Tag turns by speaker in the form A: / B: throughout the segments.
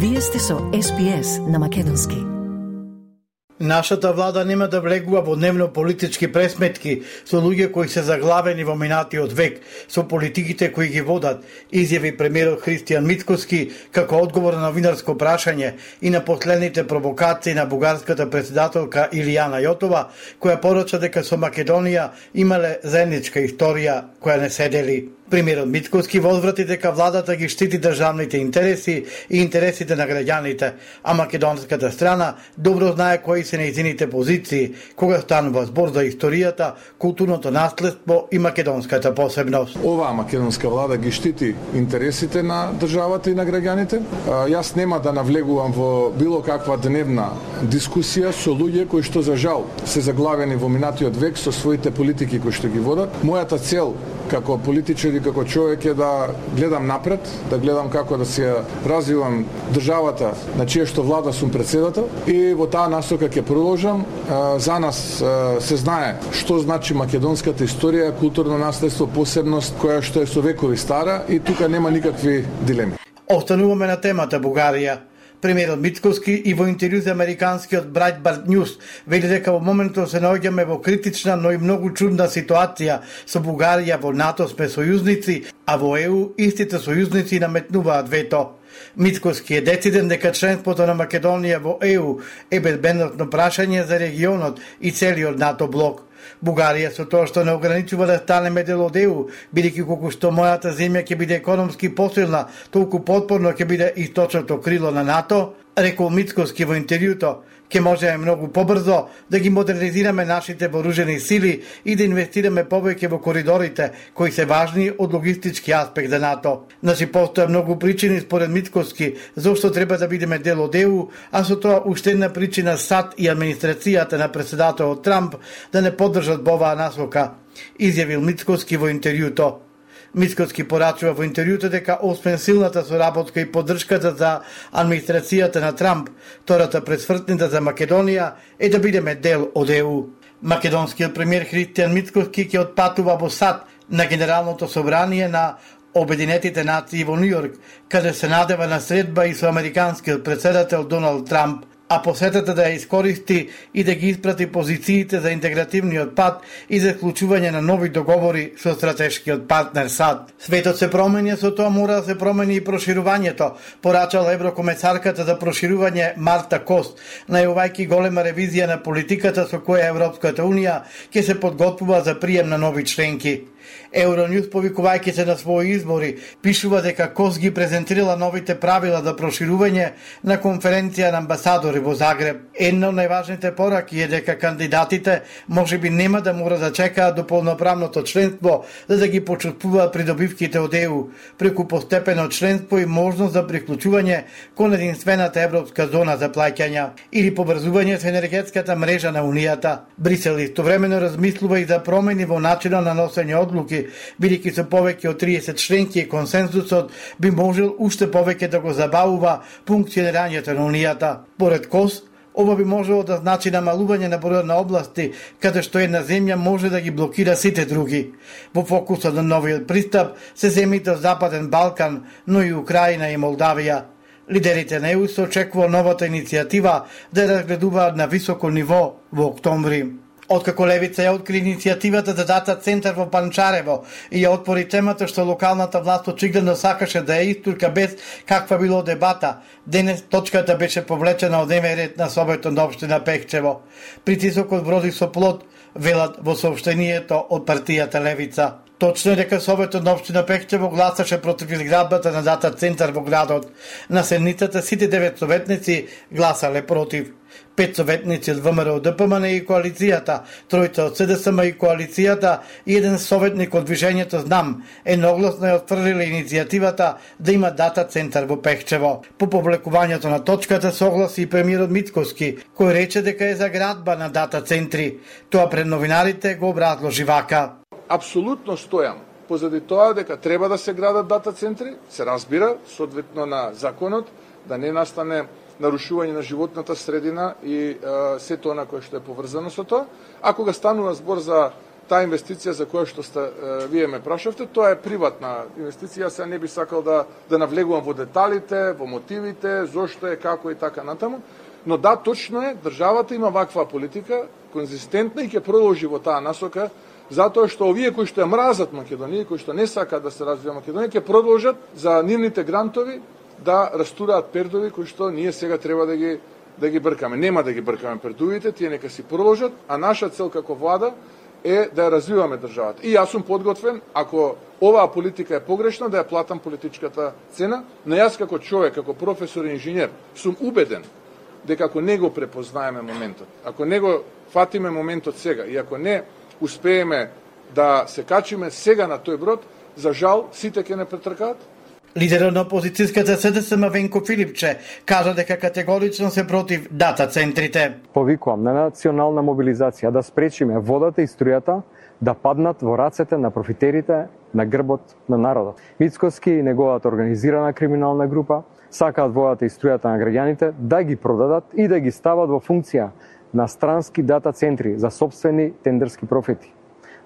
A: Вие сте со SPS на македонски.
B: Нашата влада нема да влегува во дневно-политички пресметки со луѓе кои се заглавени во минатиот век, со политиките кои ги водат, изјави премиерот Христијан Мицкоски како одговор на новинарско прашање и на последните провокации на бугарската претседателка Илијана Јотова, која порача дека со Македонија имале заедничка историја која не се дели. Премиерот Мицкоски возврати дека владата ги штити државните интереси и интересите на граѓаните, а македонската страна добро знае кои се нејзините позиции кога станува збор за историјата, културното наследство и македонската посебност.
C: Оваа македонска влада ги штити интересите на државата и на граѓаните. Јас нема да навлегувам во било каква дневна дискусија со луѓе кои што за жал се заглавени во минатиот век со своите политики кои што ги водат. Мојата цел како политичар и како човек е да гледам напред, да гледам како да се развивам државата на чија што влада сум председател и во таа насока ќе продолжам. За нас се знае што значи македонската историја, културно наследство, посебност која што е со векови стара и тука нема никакви дилеми.
B: Остануваме на темата Бугарија. Премиерот Мицкоски и во интервју за американскиот Breitbart News вели дека во моментот се наоѓаме во критична, но и многу чудна ситуација. Со Бугарија во НАТО сме сојузници, а во ЕУ истите сојузници наметнуваат вето. Мицкоски е дециден дека членството на Македонија во ЕУ е безбедносно прашање за регионот и целиот НАТО блок. Бугарија со тоа што не ограничува да станеме дел од ЕУ, бидејќи колку што мојата земја ќе биде економски посилна, толку потпорно ќе биде источното крило на НАТО, рекол Мицкоски во интервјуто, ќе можеме многу побрзо да ги модернизираме нашите вооружени сили и да инвестираме повеќе во коридорите кои се важни од логистички аспект за НАТО. Значи постоја многу причини според Мицкоски зошто треба да бидеме дел од ЕУ, а со тоа уште една причина САД и администрацијата на претседателот Трамп да не поддржат во оваа насока, изјавил Мицкоски во интервјуто. Мицкоски порачува во интервјуто дека освен силната соработка и поддршката за администрацијата на Трамп, втората пресвртница за Македонија е да бидеме дел од ЕУ. Македонскиот премиер Христијан Мицкоски ќе отпатува во САД на Генералното собрание на Обединетите нации во Њујорк, каде се надева на средба и со американскиот претседател Доналд Трамп, а посетата да ја искористи и да ги испрати позициите за интегративниот пат и за вклучување на нови договори со стратешкиот партнер САД. Светот се промени, со тоа мора да се промени и проширувањето, порачала еврокомесарката за проширување Марта Кост, најавувајќи голема ревизија на политиката со која Европската унија ќе се подготвува за прием на нови членки. Euronews, повикувајќи се на своји избори, пишува дека Кос ги презентирала новите правила за проширување на конференција на амбасадори во Загреб. Една од најважните пораки е дека кандидатите можеби нема да мора да чекаат до полноправното членство за да ги почувствуваат придобивките од ЕУ, преку постепено членство и можност за приклучување кон единствената европска зона за плаќања или побрзување со енергетската мрежа на Унијата. Брисел истовремено размислува и за промени во начинот на носење одлуки, бидејќи со повеќе од 30 членки и консензусот би можел уште повеќе да го забавува функционирањето на Унијата. Поред Кос, ова би можело да значи намалување на бројот на области каде што една земја може да ги блокира сите други. Во фокусот на новиот пристап се земјите од Западен Балкан, но и Украина и Молдавија. Лидерите на ЕУ се очекува новата иницијатива да ја разгледуваат на високо ниво во октомври. Откако Левица ја откри иницијативата за дата центар во Панчарево и ја отвори темата што локалната власт очигледно сакаше да ја истурка без каква било дебата, денес точката беше повлечена од дневен ред на Советот на општина Пехчево. Притисокот вроди со плод, велат во соопштението од партијата Левица. Точно е дека Советот на општина Пехчево гласаше против изградбата на дата центар во градот. На седницата сите 9 советници гласале против. 5 советници од ВМРО, ДПМН и коалицијата, 3 од СДСМ и коалицијата и 1 советник од движењето Знам едногласно ја отфрлиле иницијативата да има дата центар во Пехчево. По повлекувањето на точката согласи и премиерот Мицкоски, кој рече дека е за градба на дата центри. Тоа пред новинарите го образложи вака.
C: Апсолутно стојам позади тоа дека треба да се градат дата центри, се разбира, соодветно на законот, да не настане нарушување на животната средина и сето она кое што е поврзано со тоа. А кога станува збор за таа инвестиција за која што вие ме прашавте, тоа е приватна инвестиција, се не би сакал да навлегувам во деталите, во мотивите, зошто е, како и така натаму, но да, точно е, државата има ваква политика, конзистентна и ќе продолжи во таа насока, затоа што овие кои што ја мразат Македонија, кои што не сакаат да се развива Македонија, ќе продолжат за нивните грантови да растураат пердови кои што ние сега треба да ги бркаме. Нема да ги бркаме пердовите, тие нека си продолжат, а наша цел како влада е да ја развиваме државата. И јас сум подготвен, ако оваа политика е погрешна, да ја платам политичката цена, но јас како човек, како професор и инженер, сум убеден дека ако не го препознаеме моментот, ако не го фатиме моментот сега и ако не успееме да се качиме сега на тој брод, за жал, сите ќе не претркаат.
B: Лидерот на опозицијската СДСМ Венко Филипче кажа дека категорично се против дата центрите.
D: Повикувам на национална мобилизација да спречиме водата и струјата да паднат во рацете на профитерите на грбот на народот. Мицкоски и неговата организирана криминална група сакаат водата и струјата на граѓаните да ги продадат и да ги стават во функција на странски дата центри за сопствени тендерски профити.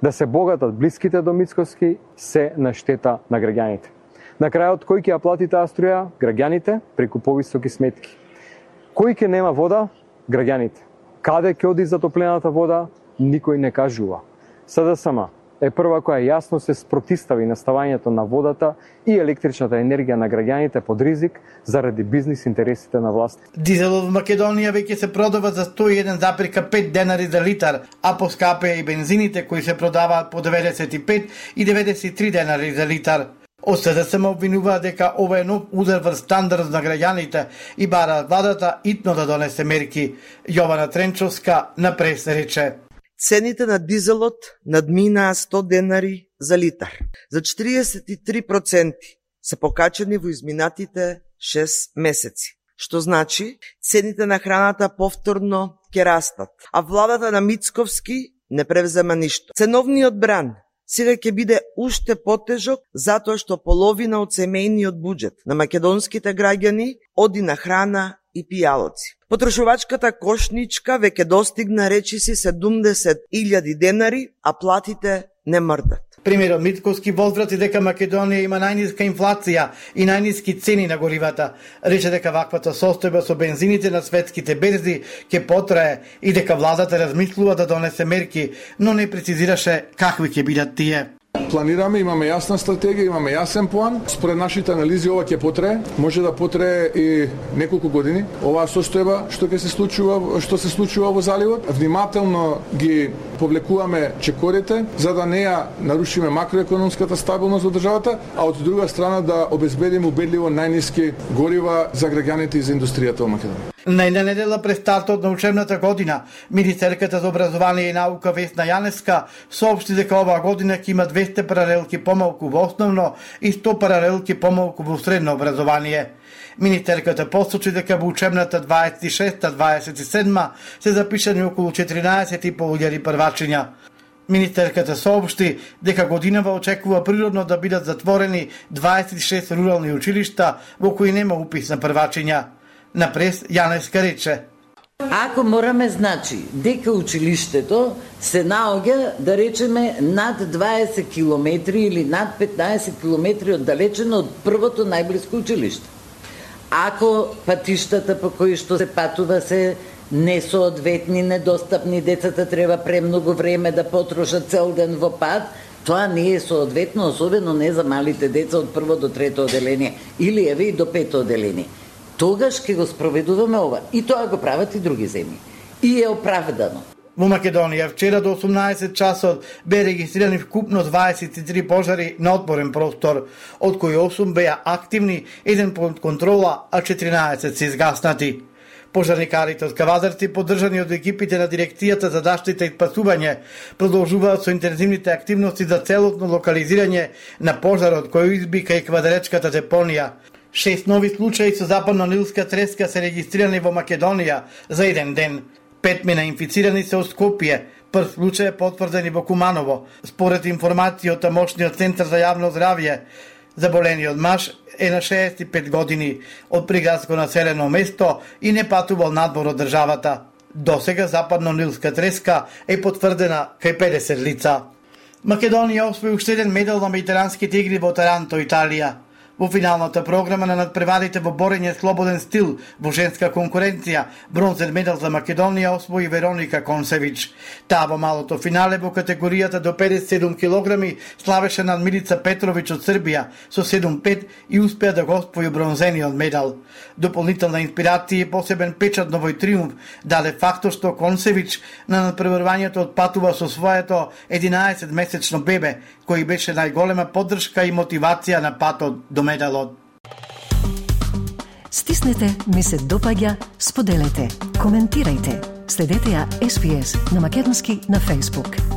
D: Да се богатат блиските до Мицкоски се на штета на граѓаните. На крајот, кој ќе ја плати таа струја? Граѓаните преку повисоки сметки. Кој ќе нема вода? Граѓаните. Каде ќе оди затоплената вода? Никој не кажува. СДСМ е прва која јасно се спротистави на ставањето на водата и електричната енергија на граѓаните под ризик заради бизнис интересите на власт.
B: Дизелот во Македонија веќе се продава за 101,5 денари за литар, а поскапе и бензините кои се продаваат по 95 и 93 денари за литар. Од СДСМ обвинуваат дека ова е нов удар врз стандард на граѓаните и бараат владата итно да донесе мерки. Јована Тренчовска на прес рече:
E: Цените на дизелот надминаа 100 денари за литар. За 43% се покачени во изминатите 6 месеци. Што значи, цените на храната повторно ќе растат, а владата на Мицковски не превзема ништо. Ценовниот бран сега ќе биде уште потежок затоа што половина од семејниот буџет на македонските граѓани оди на храна и пијалоци. Потрошувачката кошничка веќе достигна речиси 70.000 денари, а платите не мрдат.
B: Премиерот Мицкоски возврати дека Македонија има најниска инфлација и најниски цени на горивата. Рече дека ваквата состојба со бензините на светските берзи ќе потрае и дека владата размислува да донесе мерки, но не прецизираше какви ќе бидат тие.
C: Планираме, имаме јасна стратегија, имаме јасен план. Според нашите анализи ова ќе потрае, може да потрае и неколку години. Оваа состојба што се случува во заливот, внимателно ги повлекуваме чекорите за да не ја нарушиме макроекономската стабилност во државата, а од друга страна да обезбедиме убедливо најниски горива за граѓаните и за индустријата во Македонија.
B: Најна недела пред стартот на учебната година, министерката за образование и наука Весна Јаневска соопшти дека оваа година ќе има 200 паралелки помалку во основно и 100 паралелки помалку во средно образование. Министерката посочи дека во учебната 26-27 се запишани околу 14.500 првачиња. Министерката соопшти дека годинава очекува природно да бидат затворени 26 рурални училишта во кои нема упис на првачиња. На прес Јаневска рече:
F: Ако мораме, значи, дека училиштето се наоѓа, да речеме, над 20 километри или над 15 километри оддалечено од првото најблиско училиште. Ако патиштата по кои што се патува се несоодветни, недостапни, децата треба премногу време да потрошат цел ден во пат, тоа не е соодветно, особено не за малите деца од прво до трето оделение или еве и до пето оделение. Тогаш ќе го спроведуваме ова. И тоа го прават и други земји. И е оправдано.
B: Во Македонија вчера до 18 часот бе регистрирани вкупно 23 пожари на отворен простор, од кои 8 беа активни, 1 под контрола, а 14 се изгаснати. Пожарникарите од Кавадарци, поддржани од екипите на Дирекцијата за заштита и спасување, продолжуваат со интензивните активности за целосно локализирање на пожарот кој избика и квадаречката депонија. 6 нови случаи со западно-нилска треска се регистрирани во Македонија за еден ден. 5 мина инфицирани се од Скопје, прв случај е потврден и во Куманово. Според информација од тамошниот центар за јавно здравје, заболениот маж е на 65 години, од приградско населено место и не патувал надвор од државата. Досега западно-нилска треска е потврдена кај 50 лица. Македонија освои уште еден медал на медитеранските игри во Таранто, Италија. Во финалната програма на надпреварите во борење слободен стил во женска конкуренција, бронзен медал за Македонија освои Вероника Консевич. Таа во малото финале во категоријата до 57 килограми славеше над Милица Петрович од Србија со 7-5 и успеа да го освои бронзениот медал. Дополнителна инспирација и посебен печат на овој триумф даде фактот што Консевич на надпреварувањето отпатува со своето 11-месечно бебе, кој беше најголема поддршка и мотивација на патот до медалот.
A: Стиснете, ми се допаѓа, споделете, коментирајте. Следете ја SPS на Македонски на Facebook.